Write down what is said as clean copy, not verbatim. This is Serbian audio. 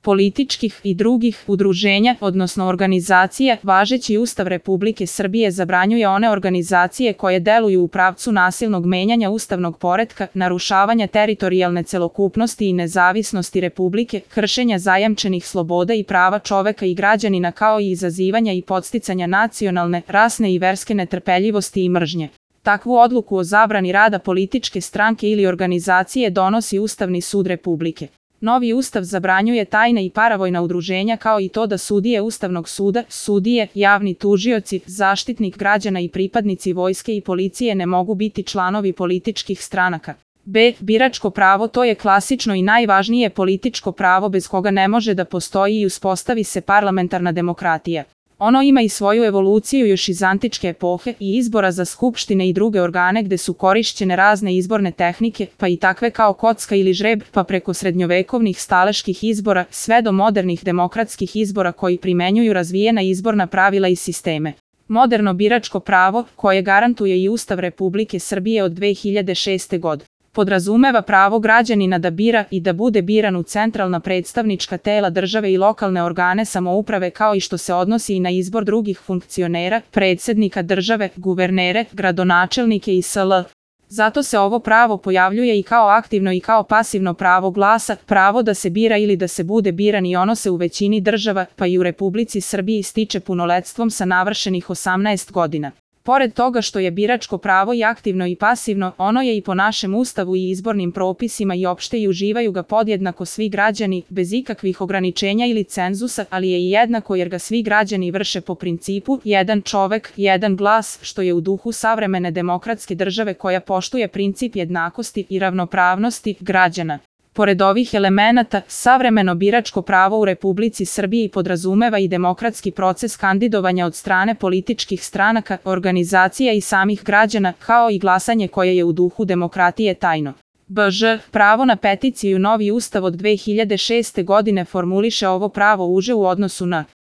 političkih i drugih udruženja, odnosno organizacija. Važeći Ustav Republike Srbije zabranjuje one organizacije koje deluju u pravcu nasilnog menjanja ustavnog poretka, narušavanja teritorijalne celokupnosti i nezavisnosti Republike, kršenja zajamčenih sloboda i prava čoveka i građanina, kao i izazivanja i podsticanja nacionalne, rasne i verske netrpeljivosti i mržnje. Takvu odluku o zabrani rada političke stranke ili organizacije donosi Ustavni sud Republike. Novi ustav zabranjuje tajna i paravojna udruženja, kao i to da sudije Ustavnog suda, sudije, javni tužioci, zaštitnik građana i pripadnici vojske i policije ne mogu biti članovi političkih stranaka. B. Biračko pravo. To je klasično i najvažnije političko pravo bez koga ne može da postoji i uspostavi se parlamentarna demokratija. Ono ima i svoju evoluciju još iz antičke epohe i izbora za skupštine i druge organe gde su korišćene razne izborne tehnike, pa i takve kao kocka ili žreb, pa preko srednjovekovnih staleških izbora, sve do modernih demokratskih izbora koji primenjuju razvijena izborna pravila i sisteme. Moderno biračko pravo, koje garantuje i Ustav Republike Srbije od 2006. godine, podrazumeva pravo građanina da bira i da bude biran u centralna predstavnička tela države i lokalne organe samouprave, kao i što se odnosi i na izbor drugih funkcionera, predsednika države, guvernere, gradonačelnike i sl. Zato se ovo pravo pojavljuje i kao aktivno i kao pasivno pravo glasa, pravo da se bira ili da se bude biran, i ono se u većini država, pa i u Republici Srbiji, stiče punoletstvom sa navršenih 18 godina. Pored toga što je biračko pravo i aktivno i pasivno, ono je i po našem Ustavu i izbornim propisima i opšte i uživaju ga podjednako svi građani, bez ikakvih ograničenja ili cenzusa, ali je i jednako jer ga svi građani vrše po principu jedan čovek, jedan glas, što je u duhu savremene demokratske države koja poštuje princip jednakosti i ravnopravnosti građana. Pored ovih elemenata, savremeno biračko pravo u Republici Srbiji podrazumeva i demokratski proces kandidovanja od strane političkih stranaka, organizacija i samih građana, kao i glasanje koje je u duhu demokratije tajno. BŽ. Pravo na peticiju. Novi ustav od 2006. godine formuliše ovo pravo uže u odnosu na